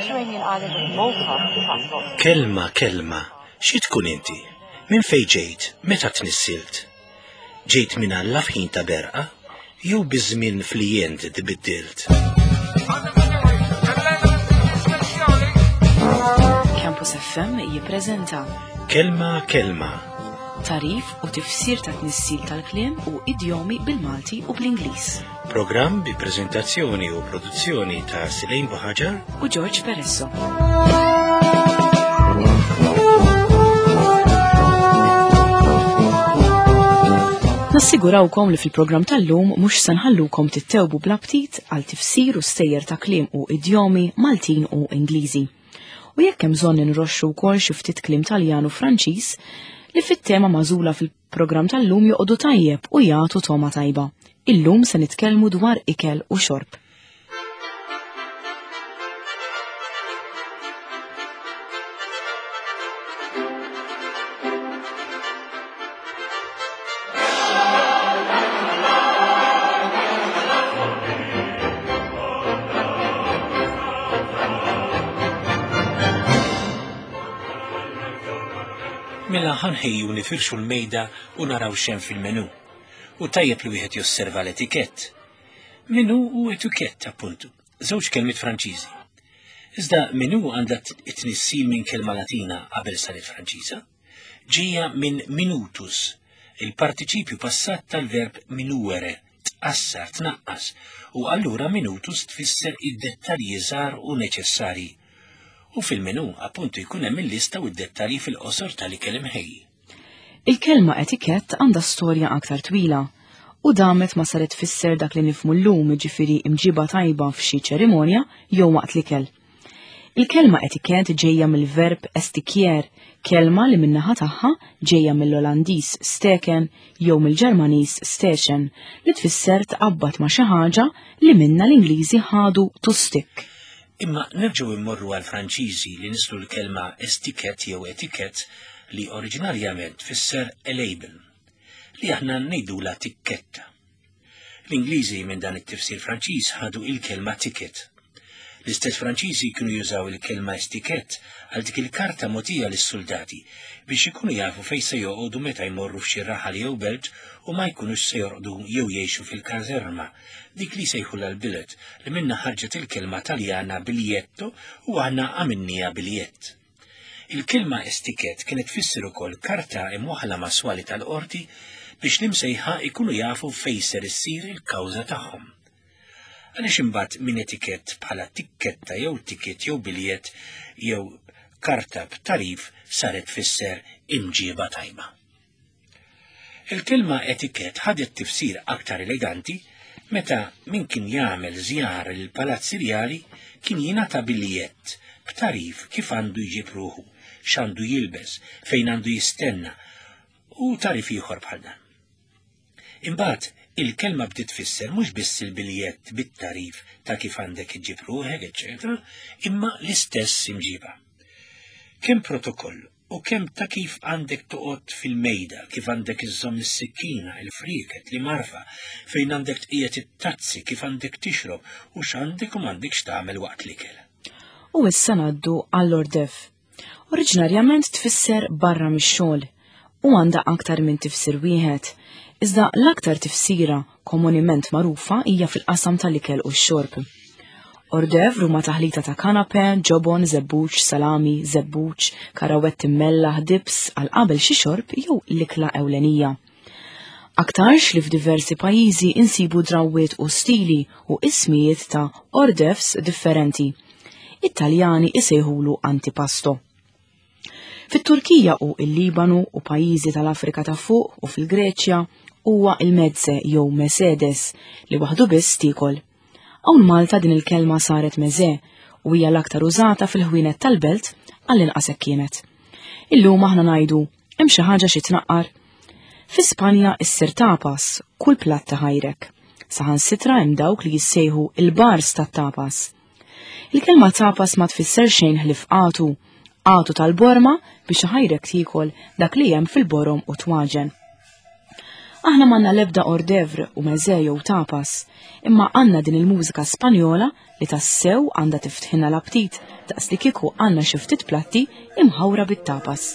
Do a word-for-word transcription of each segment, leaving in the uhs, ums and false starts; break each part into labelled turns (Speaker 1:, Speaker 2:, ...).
Speaker 1: Mediterranean island of Malta has got
Speaker 2: Kelma, kelma, xi tkun inti? Minn fejn ġejt? Meta tnissilt? Ġejt minn Alla f'ħin ta' berqa? Jew biż-żmien flijent tbiddilt?
Speaker 3: Campus F M jippreżenta
Speaker 2: Kelma, kelma,
Speaker 3: tarif u tifsir ta' tnissil tal-kliem u idjomi bil-Malti u bl-Ingliż.
Speaker 2: Programm bi prezentazzjoni u produzzjoni ta' Silejn Buħaġar
Speaker 3: u George Peresso. Nassigurawkom li fil-programm tal-lum mhux se nħallukom tittewbu bl-aptit għal tifsir u stejjer ta' kliem u idjomi Maltin u Ingliżi. U jekk hemm bżonn inroxxu wkoll xi ftit kliem Taljan u Franċiż li fit-tema magħżula fil-programm tal-lum joqogħdu tajjeb u jagħtu toma tajba. Illum se nitkellmu dwar ikel u xorb.
Speaker 2: Mela ħanħejju nifirxu l-mejda u naraw xem fil-menu. U tajjeb li wieħed josserva l-etikett. Menu u etikett, appuntu, żewġ kelmiet Franċiżi. Iżda menu għandha t-tnissil minn kelma Latina qabel saret Franċiża, ġejja minn minutus, il-partiċipju passat tal-verb minuere, tqassar, tnaqqas, u allura minutus tfisser id-dettalji żgħar u neċessarji. U fil-menu appuntu jkun hemm il-lista u d-dettalji fil-qosor tal-ikel imħejji.
Speaker 3: Il-kelma etikett għandha storja aktar twila u damet ma saret tfisser dak li nifmu llum, ġifieri imġiba tajba f'xi ċerimonja jew waqt l-ikel. Il-kelma etikett ġejja mill-verb estikier, kelma li min-naħa tagħha ġejja mill-Olandiż steken jew mill-Ġermaniż stechen, li tfisser tqabbad ma' xi ħaġa li minna l-Ingliżi ħadu to stick.
Speaker 2: Imma nerġgħu immorru għal Franċiżi li nislu l-kelma estiket jew etikett li oriġinarjament tfisser a label, li aħna ngħidula tikketta. L-Ingliżi minn dan it-tifsir Franċiż ħadu il-kelma ticket. L-istess Franċiżi kienu jużaw il-kelma estikett għal dik il-karta mogħtija lis-soldati biex ikunu jafu fejn se joqogħdu meta jmorru f'xi raħal jew belt u ma jkunux se jorqdu jew jgħixu fil-kazerma, dik li sejħu l-billet li minna ħarġet il-kelma Taljana biglietto u aħna għamilniha biljett. Il-kelma estikett kienet tfisser ukoll karta imwaħla ma' swali tal-qorti biex l-imsejħa ikunu jafu fejn ser issir il-kawża tagħhom. Għaliex imbagħad minn etikett bħala tikketta jew ticket jew biljett jew karta b'tarif saret tfisser imġiba tajba. Il-kelma etikett ħadet tifsir aktar eleganti meta min kien jagħmel żjara lil palazzi rjali kien jingħata biljett b'tarif kif għandu jġib ruħu, x'għandu jilbes, fejn għandu jistenna u tarif ieħor bħal dan. Imbagħad il-kelma bdiet tfisser mhux biss il-biljett bit-tarif ta' kif għandek iġġib ruħek, eċċetera, imma l-istess imġiba. Kemm protokoll u kemm ta' kif għandek toqgħod fil-mejda, kif għandek iżżomm is-sikkina, il-frieket, li marfa, fejn għandek tqiegħed it-tazzi, kif għandek tixrob u x'għandek u m'għandekx tagħmel waqt l-ikel.
Speaker 3: U issa ngħaddu għall-ordef. Oriġinarjament tfisser barra mix-xogħol u għandha aktar minn tifsir wieħed. Iżda l-aktar tifsira komunement magħrufa hija fil-qasam tal-ikel u x-xorb. Ordev huma taħlita ta' kanape, ġobon, żebbuġ, salami, żebbuġ, karawetti mmellaħ, dips għal qabel xi xorb jew l-ikla ewlenija. Aktarx li f'diversi pajjiżi insibu drawwiet u stili u ismijiet ta' ordefs differenti. It-Taljani isejħulu antipasto. Fit-Turkija u il-Libanu u pajjiżi tal-Afrika ta' fuq u fil-Greċja huwa il-mezze jew Mercedes li waħdu biss tiekol. Hawn Malta din il-kelma saret meze u hija l-aktar użata fil-ħwienet tal-belt għall-inqas hekk kienet. Illum aħna ngħidu hemm xi ħaġa xi tnaqqar. Fi Spanja issir tapas, kull platt ta' ħajrek. Saħansitra hemm dawk li jissejħu il-bars tat-tapas. Il-kelma tapas ma tfisser xejn ħlief qatu, qatu tal-borma biex ħajrek tiekol dak li hemm fil-borom u twaġen. Aħna m'għandna l-ebda hors d'oeuvre u meze jew tapas, imma għandna din il-mużika Spanjola li tassew għandha tiftħilna l-aptit daqs li kieku għandna xi ftit platti imħawra bit-tapas.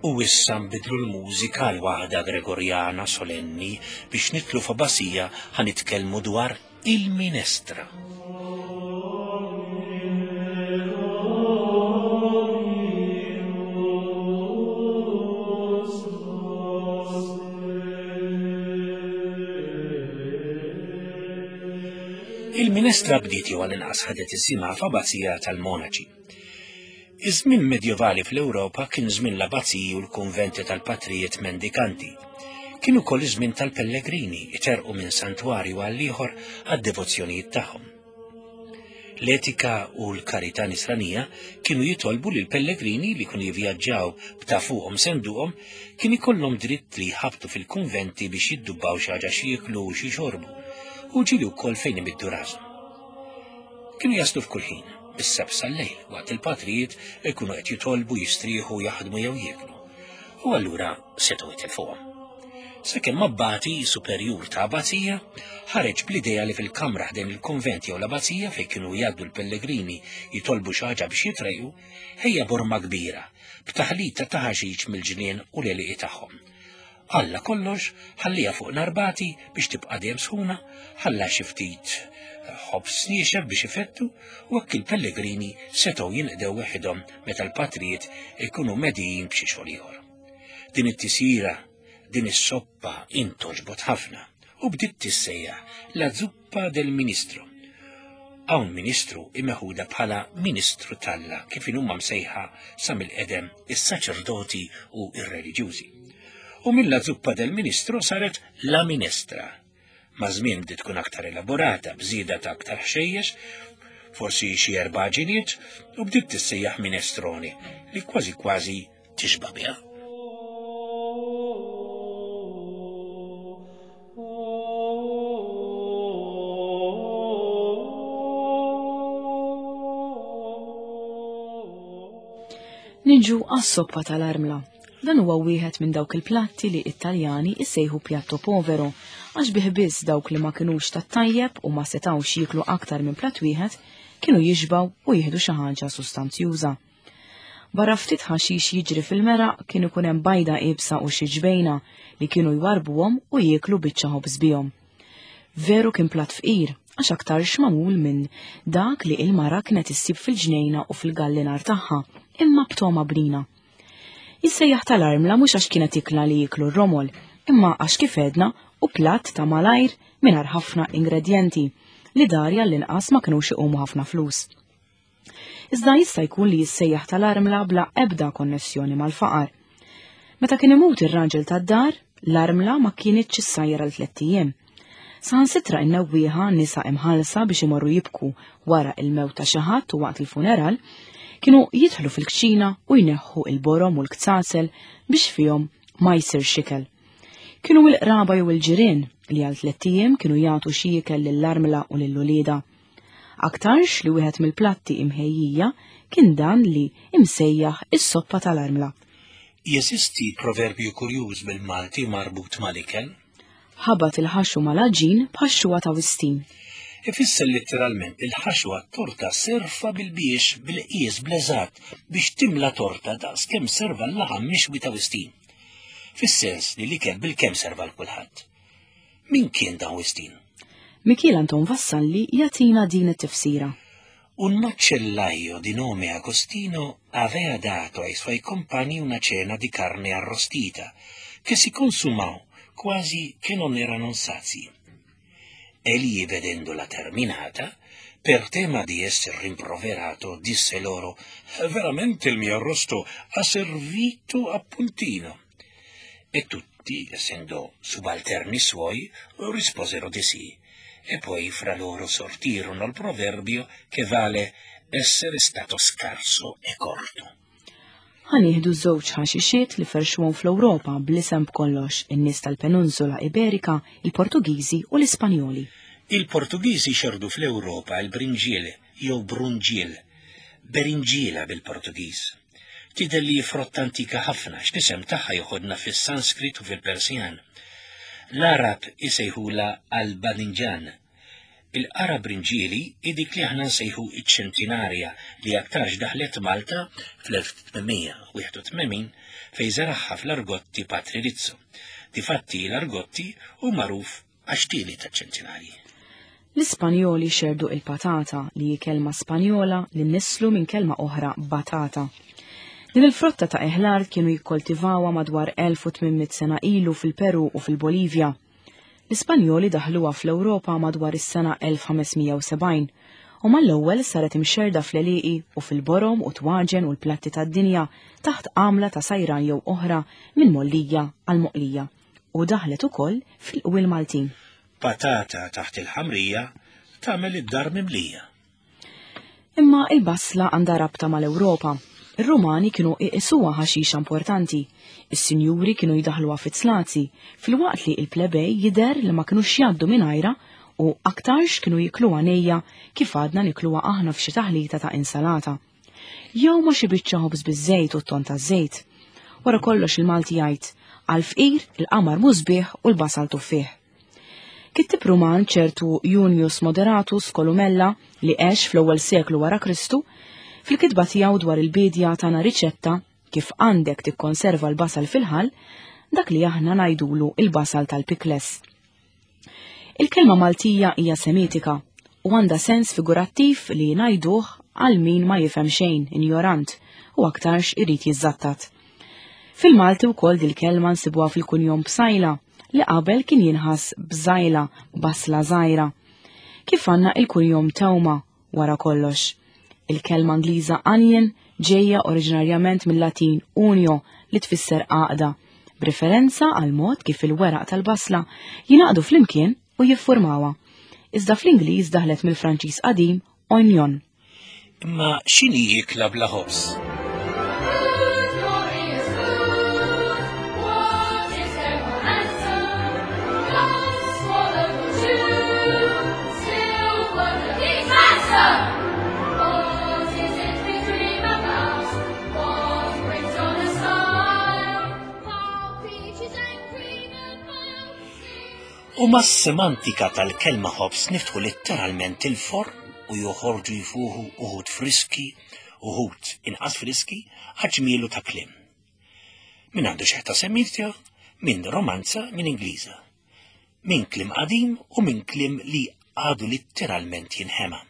Speaker 2: U issa nbidlu l-mużika għal waħda Gregorjana solenni biex nitlu f'abbazija ħa nitkellmu dwar il-minestra. Il-minestra bdiet jew għall-inqas ħadet isimha f'abbazija tal-monaċi. Iż-żmien medjevali fl-Ewropa kien żmien l-abbaziji u l-kunventi tal-patrijiet mendikanti. Kien ukoll iż-żmien tal-pellegrini iterqu minn santwarju għal ieħor għad-devozzjonijiet tagħhom. L-etika u l-karità nisranija kienu jitolbu li l-pellegrini li kienu jivvjaġġaw b'ta' fuqhom senduqhom kien ikollhom dritt li jħabtu fil-kunventi biex jiddubbaw xi ħaġa x'jieklu u xi xorbu, u ġieli wkoll fejn imiddu rashom. Kienu jaslu f'kull ħin, bis-seb sal-lejl, waqt il-patrijiet ikunu qed jitolbu, jistrieħu, jaħdmu jew jieklu. U allura setgħu jitilfuhom. Sakemm abbati superjur ta' abbazija ħareġ bl-idea li fil-kamra ħdejn il-konvent jew l-abbazija fejn kienu jgħaddu l-pellegrini jitolbu xi ħaġa biex jitrejqu, ħejja borma kbira b'taħlita ta' ħaxix mill-ġnien u l-għelieqi tagħhom. Alla kollox ħallija fuq narbati biex tibqa' dejjem sħuna, ħalla xi ftit ħobż niexef biex ifettu, u hekk il-pellegrini setgħu jinqdew weħidhom meta l-patrijiet ikunu medijin b'xi xogħol ieħor. Din it-tisira, din is-soppa intoġbot ħafna u bdiet tissejjaħ la zuppa del ministro. Hawn ministru imeħuda bħala ministru talla kif inhuma msejħa sa mill-qedem is-saċerdoti u r-reliġjużi. U mill-la zuppa del ministro saret la minestra. Ma' żmien bdiet tkun aktar elaborata, bżieda ta' aktar ħxejjex, forsi xi erba' ġiniet, u bdiet tissejjaħ minestroni li kważi kważi tixba' biha.
Speaker 3: Niġu għas-soppa tal-armla. Dan huwa wieħed minn dawk il-platti li Italjani issejħu piatto povero, għax bih biss dawk li ma kinux tat-tajjeb u ma setgħux jieklu aktar minn platt wieħed kienu jixbaw u jieħdu xi ħaġa sustanzjuża. Barra ftit ħaxix jiġri fil-meraq kien ikun hemm bajda iebsa u xi ġbejna li kienu jwarbuhom u jieklu biċċa ħobż bihom. Veru kien platt fqir, għax aktarx magħmul minn dak li il-mara kienet issib fil-ġnejna u fil-gallinar tagħha, imma b'toma bnina. Jissejjaħ tal-armla mhux għax kienet ikla li jieklu r-romol, imma għax kif edna u platt ta' malajr mingħajr ħafna ingredjenti li darja l-inqas ma kinux iqumu ħafna flus. Iżda jista' jkun li jissejjaħ tal-armla bla ebda konnessjoni mal-faqar. Meta kien imut ir-raġel tad-dar, l-armla ma kienitx issajjar għal tlett ijiem. Saħansitra n-newwieħa nisa imħallsa biex imorru jibku wara il-mewt ta' xi ħadd u waqt il-funeral, kienu jidħlu fil-kċina u jneħħu il-borom u l-ktasel biex fihom ma jsir xikel. Kienu l-qraba jew il-ġirien li għal tlett ijiem kienu jagħtu xi ikel lill-armla u lill-ulieda. Aktarx li wieħed mill-platti imħejjija kien dan li imsejjaħ is-soppa tal-armla.
Speaker 2: Jeżisti proverbju kurjuż bil-Malti marbut mal-ikel?
Speaker 3: Ħabat il-ħaxu mal-għaġin bħax-xuwa ta' Wistin.
Speaker 2: Ifisser letteralment il-ħaxwa torta serfa bil-biex bil-qies bl-eżatt biex timla torta daqs kemm serva l-laħam mixwi ta' Wistin. Fis-sens li l-ikel bil-kemm serva l kulħadd. Min kien dan Wistin?
Speaker 3: Mikiel Anton Vassalli jagħtina din it-tifsira.
Speaker 2: Un macellaio di nome Agostino aveva dato ai suoi compagni una cena di carne arrostita, che si consumò quasi che non erano sazi. Egli, vedendola terminata, per tema di esser rimproverato, disse loro: «Veramente il mio arrosto ha servito a puntino». E tutti, essendo subalterni suoi, risposero di sì. E poi fra loro sortirono il proverbio che vale essere stato scarso e corto.
Speaker 3: Ħa nieħdu żewġ ħaxixiet li ferxuhom fl-Ewropa bl-isem b'kollox in-nies tal-Peninsula Iberika, il-Portugiżi u l-Ispanjoli.
Speaker 2: Il-Portugiżi xerdu fl-Ewropa il-brinġiel jew brunġiel, berinġiela bil-Portugiż. Tidher li frotta antika ħafna x'nisem tagħha joħodna fis-Sanskrit u fil-Persjan. L-Arab isejħula al-Badinġan. Il-qara brinġieli hi dik li aħna nsejħu iċ-ċentinarja li aktarx daħlet Malta fl-elf tmien wieħed u tmenin fejn żaragħha fl-Argotti Patri Rizzo. Difatti l-Argotti hu magħruf għax tieni taċ-ċentinarji.
Speaker 3: L-Ispanjoli xerdu il-patata li hi kelma Spanjola li nisslu minn kelma oħra batata. Din il-frotta ta' eħlar kienu jikkoltivawha madwar elf u tmien mitt sena ilu fil-Peru u fil-Bolivja. L-Ispanjoli daħluha fl-Ewropa madwar is-sena elf ħames mija u sebgħin u mal-ewwel saret imxerda fl-għelieqi u fil-borom u twaġen u l-platti tad-dinja taħt għamla ta' sajran jew oħra minn mollija għal moqlija u daħlet ukoll fil-qwiel Maltin.
Speaker 2: Patata taħt il-ħamrija tagħmel id-dar mimlija.
Speaker 3: Imma il-basla għandha rabta mal-Ewropa. Ir-Rumani kienu iqisuha ħaxixa importanti, is-sinjuri kienu jidaħluha fit-slazi, filwaqt li il-plebej jidher li ma kinux jgħaddu mingħajra u aktarx kienu jikluha nejja kif għadna nikluha aħna f'xi taħlita ta' insalata. Jew ma xi biċċa ħobż biż-żejt u t-ton taż-żejt. Wara kollox il-Malti jgħid, għal fqir il-qamar musbieħ u l-basal tuffieħ. Kittib Ruman ċertu Junius Moderatus Columella li għex fl-ewwel seklu wara Kristu, fil-kitba tiegħu dwar il-bidja tana riċetta kif għandek tikkonserva l-basal fil-ħall, dak li aħna ngħidulu il-basal tal-pikles. Il-kelma Maltija hija semitika u għandha sens figurattiv li ngħiduh għal min ma jifhem xejn, injorant, u aktarx irid jiżżattat. Fil-Malti wkoll dil-kelma nsibuha fil-kunjom Bsajla li qabel kien jinħass bżajla, basla żgħira. Kif għandna il-kunjom Tewma wara kollox. Il-kelma Ingliża onion ġejja oriġinarjament mill-Latin unio li tfisser għaqda, b'referenza għal mod kif il-weraq tal-basla jingħaqdu flimkien u jiffurmawha. Iżda fl-Ingliż daħlet mill-Franċiż qadim oignon.
Speaker 2: Imma x'inhi ikla bla ħobż? U mas-semantika tal-kelma ħobż niftħu letteralment il-forn u joħorġu jfuħu uħud friski, uħud inqas friski, għaġmielu ta' kliem. Min għandu xeħta semitika, min romanza, min Ingliża. Min kliem qadim u min kliem li għadu letteralment jinħema.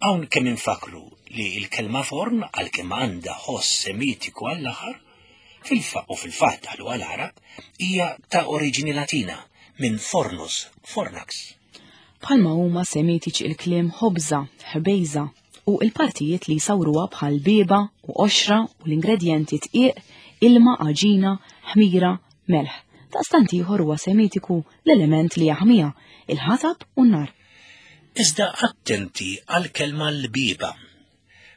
Speaker 2: Hawn kemm infakru li l-kelma forn għalkemm għandha ħoss semitiku għall-aħħar, fil-fa u fil-fatt daħlu għal-Arab, hija ta' oriġini Latina minn fornus, fornax.
Speaker 3: Bħalma huma semitiċi il-kliem ħobża, ħbejża u il-partijiet li jsawruha bħal bieba u qoxra u l-ingredjenti tqiq, ilma, għaġina, ħmira, melħ. Daqstant ieħor huwa semitiku l-element li jaħmiha, il-ħatab u n-nar.
Speaker 2: Iżda attenti għal-kelma l-bieba.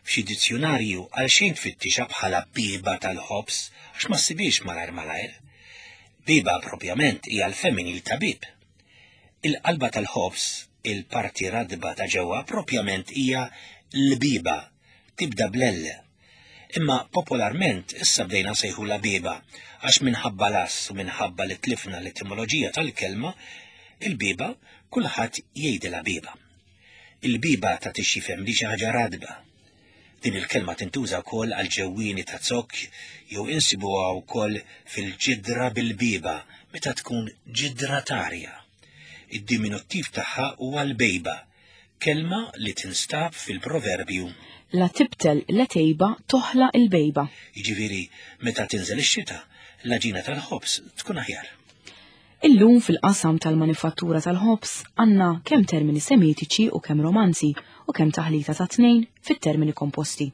Speaker 2: F'xi dizzjonarju għal xejn tfittixa bħala bieba tal-ħobż għax ma ssibix malajr malajr. Bieba propjament hija l-femminil ta' bib. Il-qalba tal-ħobż, il-parti radba ta' ġewwa propjament hija l-biba, tibda bl-L. Imma popolarment issa bdejna nsejħulha bieba għax minħabba l-ass u minħabba li tlifna l-etimoloġija tal-kelma, il-bieba kulħadd jgħidilha bieba. Il-bieba ta' tixjifem li xi ħaġa radba. Din il-kelma tintuża wkoll għal ġewwieni ta' zokk jew insibuha wkoll fil-ġidra bil-bieba meta tkun ġidra tarja. Id-diminuttiv tagħha huwa l-bejba, kelma li tinstab fil-proverbju.
Speaker 3: La tibtel la tejba toħla il-bejba.
Speaker 2: Jiġifieri meta tinżel ix-xita, l-għaġina tal-ħobż tkun aħjar.
Speaker 3: Illum fil-qasam tal-manifattura tal-ħobż għandna kemm termini semitiċi u kemm romanzi u kemm taħlita ta' tnejn fit-termini komposti.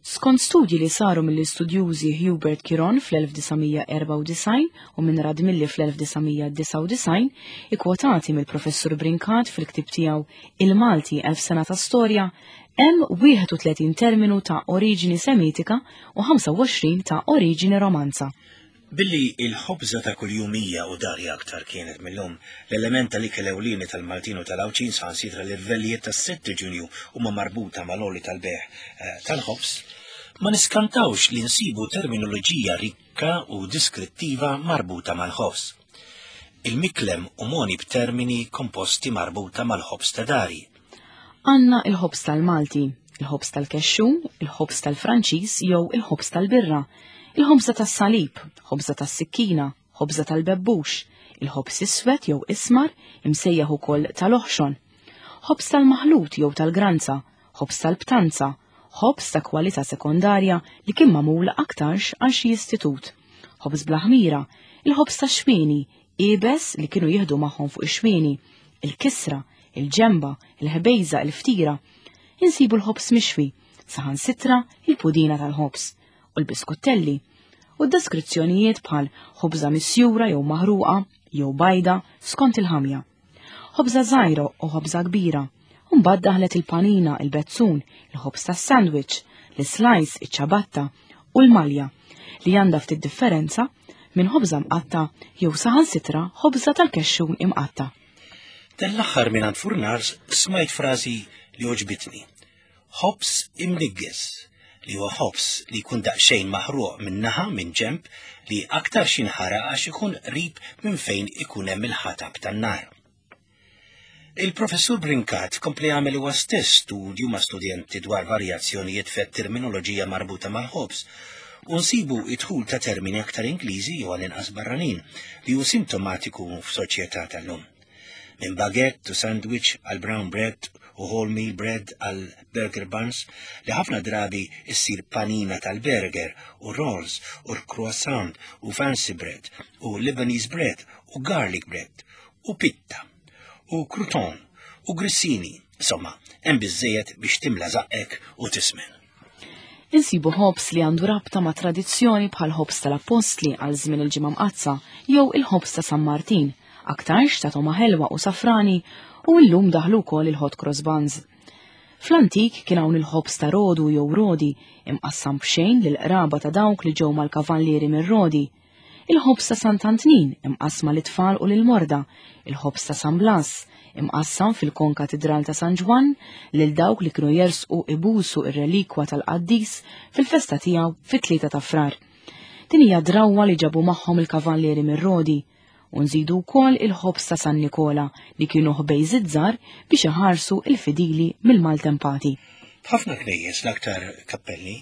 Speaker 3: Skont studji li saru mill-istudjużi Hubert Kiron fl-elf disa' mija erbgħa u disgħin u minn Radmilli fl-elf disa' mija disgħa u disgħin, ikkwotati mill-professur Brincat fil-ktib tiegħu Il-Malti Elf Sena ta' Storja, hemm wieħed u tletin terminu ta' oriġini semitika u ħamsa u għoxrin ta' oriġini romanza.
Speaker 2: Billi il-ħobża ta' kuljum hija u dari aktar kienet mill-lum, l-element tal-ikel ewlieni tal-Maltin u tal-Għawdxin saħansitra l-irvellijiet tas-sitt Ġunju huma marbuta mal-għoli tal-bejgħ, eh, tal-ħobż, ma niskantawx li nsibu terminoloġija rikka u diskrittiva marbuta mal-ħobż. Il-miklem u moni b'termini komposti marbuta mal-ħobż ta' dari.
Speaker 3: Għanna il-ħobż tal-Malti, il-ħobż tal-Kexxun, il-ħobż tal-Franċiż jew il-ħobż tal-Birra, il-ħobża tas-salib, ħobża tas-sikkina, ħobża tal-bebbux, il-ħobż iswed jew ismar imsejjaħ ukoll tal-oħxon, ħobż tal-maħlut jew tal-granza, ħobż tal-btanza, ħobż ta' kwalità sekondarja li kien magħmul aktarx għal xi istitut, ħobż bla ħmira, il-ħobż tax-xwieni, iebes li kienu jieħdu magħhom fuq ix-xwieni, il-kisra, il-ġemba, il-ħbejża, il-ftira. Insibu l-ħobż mixwi, saħansitra il-pudina tal-ħobż u l-biskuttelli, u d-deskrizzjonijiet bħal ħobża misjura jew maħruqa jew bajda skont il-ħamja. Ħobża żgħira u ħobża kbira, u mbagħad daħlet il-panina, il-bezzun, il-ħobż tas-sandwich, l-slice, iċ-ċabatta u l-malja li għandha ftit differenza minn ħobża mqatta jew saħansitra ħobża tal-kexxun imqatta.
Speaker 2: Dan l-aħħar minn għand Furnars smajt frażi li għoġbitni. Ħobż imniggeż, li huwa ħobż li jkun daqsxejn maħruq minn naħa minn ġemp li aktar xinħara għax ikun qrib minn fejn ikun hemm il-ħatab tan-nar. Il-professur Brincat kompli għamel huwa stess studju ma' studenti dwar varjazzjonijiet fit-terminoloġija marbuta mal-ħobż u nsibu id-dħul ta' termini aktar Ingliżi jew għall-inqas barranin li hu sintomatiku f'soċjetà tal-lum. Minn baguette u sandwich għal brown bread u wholemeal bread għal burger buns li ħafna drabi issir panina tal-burger u rolls u croissant u fancy bread u Lebanese bread u garlic bread u pitta u crouton u grissini. Insomma, hemm biżżejjed biex timla żaqqek u tismen.
Speaker 3: Insibu ħobż li għandu rabta ma' tradizzjoni bħal ħobż tal-Appostli għal żmien il-Ġimgħa Mqaddsa jew il-ħobż ta' San Martin, aktarx ta' toma ħelwa u safrani, u llum daħlu wkoll il-hot cross buns. Fl-antik kien hawn il-ħobż ta' Rodu jew Rodi, imqassam b'xejn lil qraba ta' dawk li ġew mal-kavallieri minn Rodi. Il-ħobż ta' Sant'Antnin imqassma lit-tfal u lil-morda, il-ħobż ta' San Blas imqassam fil-konkatidral ta' San Ġwann lil dawk li kienu jersqu ibusu ir-relikwa tal-qaddis fil-festa tiegħu fit-tlieta ta' Frar. Din hija drawwa li ġabu magħhom il-kavallieri minn Rodi. U nżidu wkoll il-ħobż ta' San Nikola li kienu ħbejżiet żgħar biex iħarsu il-fidili mill-maltempati.
Speaker 2: F'ħafna knejjes l-aktar kappelli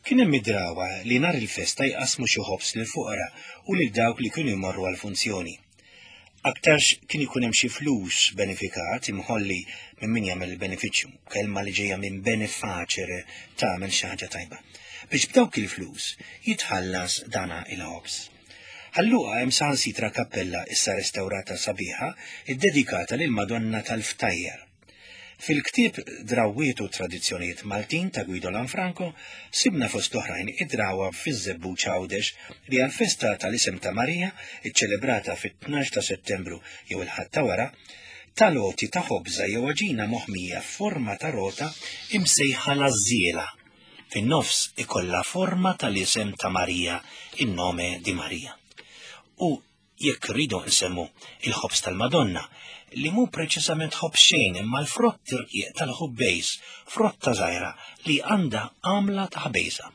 Speaker 2: kien hemm id-drawwa li nhar il-festa jqasmu xi ħobż lil fuqra u lil dawk li kienu jmorru għall-funzjoni. Aktarx kien ikun hemm xi flus benefikat imħolli minn min jagħmel il-benefiċċju, kelma li ġejja minn benefacere tagħmel xi ħaġa tajba, biex b'dawk il-flus jitħallas dana il-ħobż. Ħalluqa hemm saħansitra kappella issa restawrata sabiħa iddedikata lil Madonna tal-Ftajjar. Fil-ktieb Drawwiet u Tradizzjonijiet Maltin ta' Guido Lanfranco sibna fost oħrajn id-drawwa fiż-Żebbuġ Għawdex li għall-festa tal-isem ta' Marija, iċċelebrata fit-tnax ta' Settembru jew il-Ħadd ta' wara, tal-għoti ta' ħobża jew għaġina moħmija f'forma ta' rota imsejħa l-għażżiela. Fin-nofs ikollha forma tal-isem ta' Marija, in-nome di Marija. U Jekk rridu nsemmu il-ħobż tal-Madonna, li mhu preċiżament ħobż xejn imma l-frott irqiq tal-ħubbejż, frotta żgħira li għandha għamla ta' ħbejża.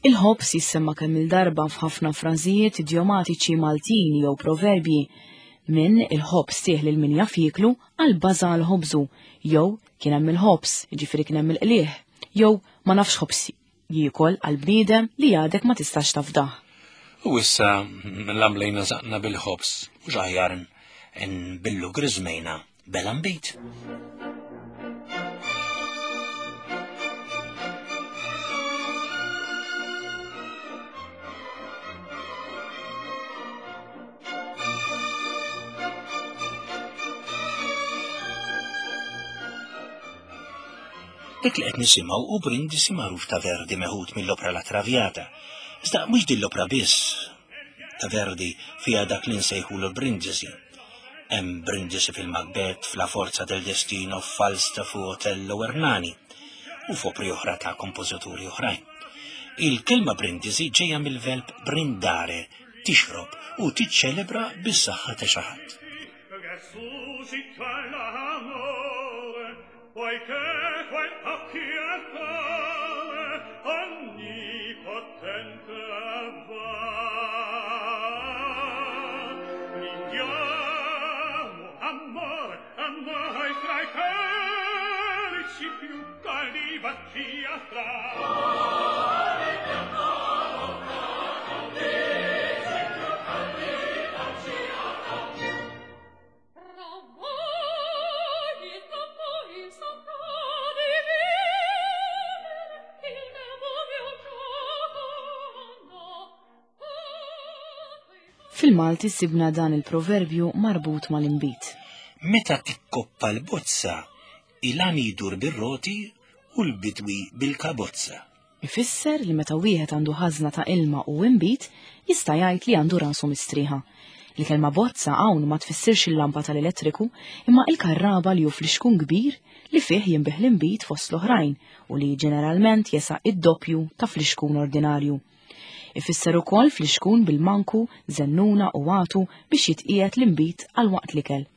Speaker 3: Il-ħobż jissemma kemm il-darba f'ħafna frażijiet idjomatiċi Maltin jew proverbji, minn il-ħobż tih lil min jaf jieklu għal baża għal ħobżu, jew kien hemm il-ħobż, jiġifieri kien hemm il-qlieh, jew ma nafx ħobż jiekol għal bniedem li għadek ma tistax tafdah.
Speaker 2: U issa l-għamlejna zaqna bil-ħobż, mhux aħjar nbillu griżmejna bela nbid. Dik li qed nisimgħu hu brindisi magħruf ta' Verdi meħud mill-opra La Traviata. Iżda mhux din l-opra biss ta' Verdi fiha dak li nsejħulu brindisi. Hemm brindisi fil-Macbeth, f'La Forza del Destino, f'Falstaff u Otello Ernani u f'opri oħra ta' kompożituri oħrajn. Il-kelma brindisi ġejja mill-verb brindare, tixrob u tiċċelebra bis-saħħa ta' xi ħadd.
Speaker 4: Poiché quel occhiatore onnipotente va, brindiamo amore a noi fra i calici più caldi baci tra.
Speaker 3: Fil-Malti sibna dan il-proverbju marbut mal-inbid.
Speaker 2: Meta tikkoppa l-bozza, il-għani jdur bir-roti u l-bidwi bil-kabozza.
Speaker 3: Ifisser li meta wieħed għandu ħażna ta' ilma u inbid, jista' jgħid li għandu rasu mistrieħa. Il-kelma bozza hawn ma tfissirx il-lampa tal-elettriku, imma il-karraba li hu flixkun kbir li fih jinbih l-inbid fost l-oħrajn u li ġeneralment jesa' id-doppju ta' flixkun ordinarju. Ifisser ukoll flixkun bil-manku, zennuna u għatu biex jitqiegħed l-inbid għal waqt l-ikel.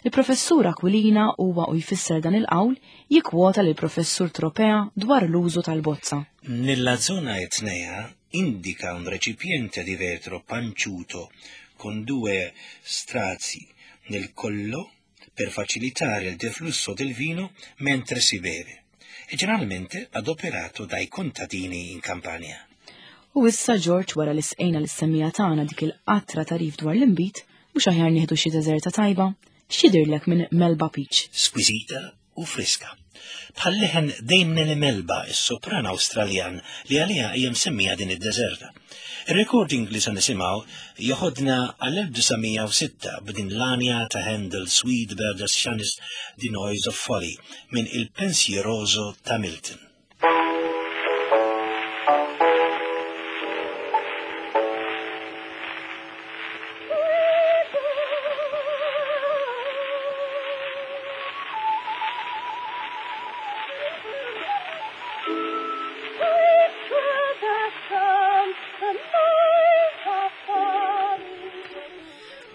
Speaker 3: Il-professur Aquilina huwa u jfisser dan il-qawl jikkwota lil professur Tropea dwar l-użu tal-bozza.
Speaker 2: Nella zona etnea indica un recipiente di vetro panciuto con due strazi nel collo per facilitare il deflusso del vino mentre si beve, e generalmente adoperato dai contadini in Campania.
Speaker 3: U issa George, wara li sqejna lis-semmija tagħna dik il-qatra tarif dwar l-inbid, mhux aħjar nieħdu xi deżerta tajba, x'jidhirlek minn Melba Peach?
Speaker 2: Squisita u friska. Bħal leħen Dame Nellie Melba, is-sopran Awstraljan li għaliha hija msemmija din id-deżerta. Ir-recording li se nisimgħu joħodna għall-elf disa' mija u sitta b'din l-anja ta' Handel Sweet Bird as Shines The Noise of Folly minn Il Pensieroso ta' Milton.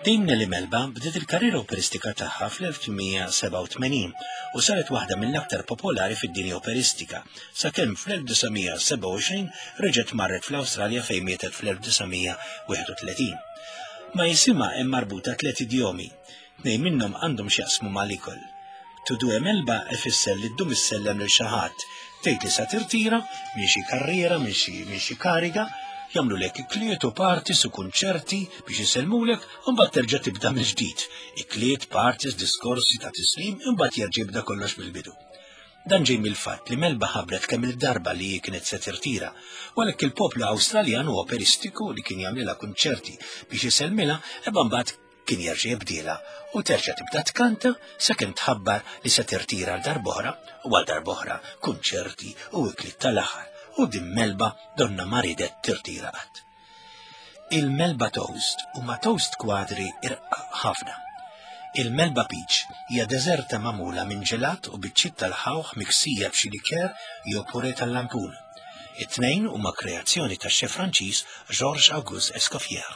Speaker 2: Dame Nellie Melba bdiet il-karriera operistika tagħha fl-elf tmien sebgħa u tmenin u saret waħda mill-aktar popolari fid-dinja operistika, sakemm fl-elf disa' mija sebgħa u għoxrin reġgħet marret fl-Awstralja fejn mietet fl-elf disa' mija wieħed u tletin. Ma jisimha hemm marbuta tliet idjomi, tnejn minnhom għandhom x'jaqsmu mal-ikol. To do a Melba ifisser li ddum issellem lil xi ħadd, tgħid li sa tirtira minn xi karriera, minn xi, minn xi kariga, jagħmlulek ikliet u parties u kunċerti biex isellmulek u mbagħad terġa' tibda mill-ġdid. Ikliet, parties, diskorsi ta' tislim, imbagħad jerġa' jibda kollox mill-bidu. Dan ġej mill-fatt li Melba ħabbret kemm il-darba li hi kienet se tirtira, u għalhekk il-poplu Awstraljan u operistiku li kien jagħmlilha kunċerti biex isellmilha, imma mbagħad kien jerġa' jibdielha u terġa' tibda tkanta sakemm tħabbar li se tirtira għal darb'oħra u għal darb'oħra kunċerti u ikliet tal-aħħar. U din Melba donna ma ridet tirtira qatt. Il-Melba Toast huma toast kwadri irqaq ħafna. Il-Melba Peach hija deżerta magħmula minn ġelat u biċċiet tal-ħawħ miksija b'xi liker jew purè tal-lampun. It-tnejn huma kreazzjoni tax-xef Franċiż Georges Auguste Escoffier.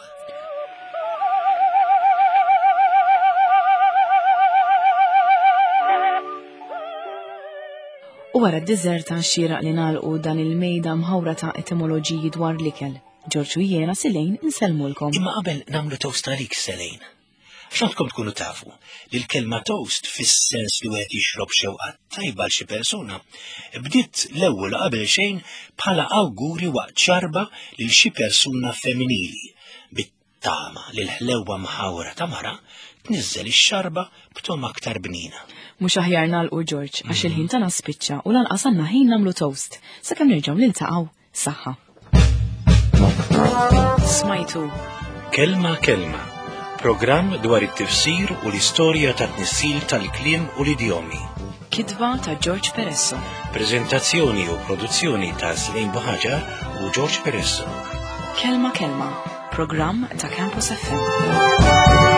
Speaker 3: U wara d-diżerta xieraq li nagħlqu dan il-mejda mħawra ta' etimoloġiji dwar l-ikel. Ġorġ u jiena, Selene, insellmulkom.
Speaker 2: Imma qabel nagħmlu toast għalik, Selene. Għandkom tkunu tafu li l-kelma toast, fis-sens li wieħed jixrob xewqa tajba għal xi persuna, bdiet l-ewwel qabel xejn bħala awguri waqt xarba lil xi persuna femminili, bit-tama li l-ħlewwa mħawra ta' mara tniżżel ix-xarba b'togħma aktar bnina.
Speaker 3: Mhux aħjar nagħlqu, Ġorġ, għax il-ħin tagħna spiċċa u lanqas għandna ħin nagħmlu toast. Sakemm nerġgħu niltaqgħu, saħħa. Smajtu
Speaker 2: Kelma Kelma, programm dwar it-tifsir u l-istorja ta' tnissil tal-kliem u l-idjomi.
Speaker 3: Kitba ta' George Peresso.
Speaker 2: Prezentazzjoni u produzzjoni ta' Selene Buhagiar u George Peresso.
Speaker 3: Kelma Kelma, programm ta' Campus F M.